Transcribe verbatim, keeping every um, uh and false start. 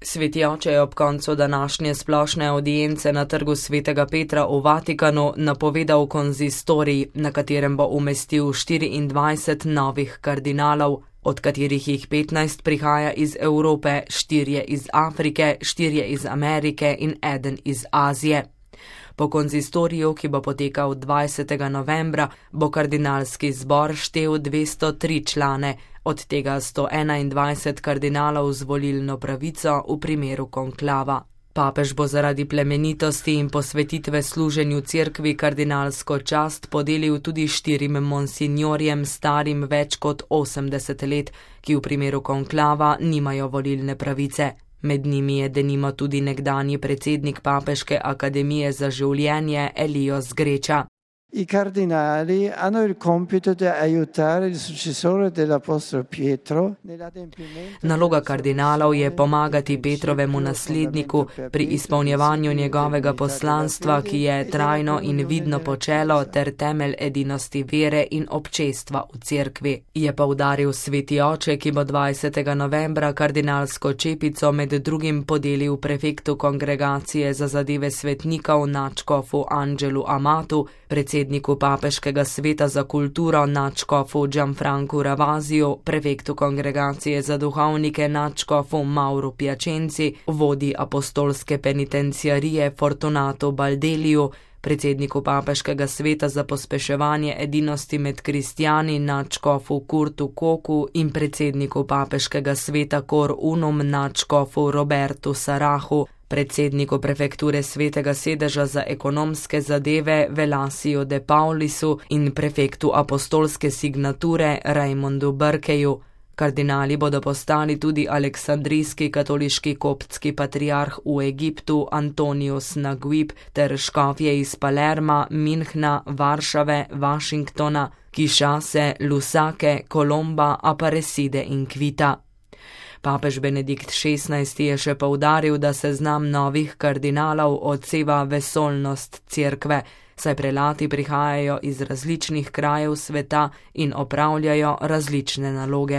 Sveti oče je ob koncu današnje splošne avdience na trgu Svetega Petra v Vatikanu napovedal konzistorij, na katerem bo umestil štiriindvajset novih kardinalov, od katerih jih petnajst prihaja iz Evrope, štirje iz Afrike, štirje iz Amerike in eden iz Azije. Po konzistoriju, ki bo potekal dvajsetega novembra, bo kardinalski zbor štel dvesto tri člane, od tega sto enaindvajset kardinalov z volilno pravico v primeru konklava. Papež bo zaradi plemenitosti in posvetitve služenju cerkvi kardinalsko čast podelil tudi štirim monsinjorjem starim več kot osemdeset let, ki v primeru konklava nimajo volilne pravice. Med njimi je denimo tudi nekdanji predsednik Papeške akademije za življenje Elios Greča. I cardinali hanno il compito di aiutare il successore dell'apostolo Pietro. Naloga kardinalov je pomagati Petrovemu nasledniku pri izpolnjevanju njegovega poslanstva, ki je trajno in vidno počelo ter temelj edinosti vere in občestva v cerkvi, je poudaril sveti oče, ki bo dvajsetega novembra kardinalsko čepico med drugim podelil prefektu kongregacije za zadeve svetnikov nadškofu Angelu Amatu, predsedniku Papeškega sveta za kulturo nadškofu Gianfrancu Ravaziju, prefektu kongregacije za duhovnike nadškofu Mauro Piacenzi, vodi apostolske penitenciarije Fortunatu Baldeliju, predsedniku Papeškega sveta za pospeševanje edinosti med kristjani nadškofu Kurtu Koku in predsedniku Papeškega sveta Cor Unum nadškofu Robertu Sarahu, predsedniku prefekture Svetega sedeža za ekonomske zadeve Velasiju de Paulisu in prefektu apostolske signature Raimondu Brkeju. Kardinali bodo postali tudi aleksandrijski katoliški koptski patriarh v Egiptu Antonius Naguib ter škofje iz Palerma, Minhna, Varšave, Washingtona, Kišase, Lusake, Kolomba, Aparecide in Kvita. Papež Benedikt šestnajsti je še poudaril, da seznam novih kardinalov odseva vesoljnost cerkve, saj prelati prihajajo iz različnih krajev sveta in opravljajo različne naloge.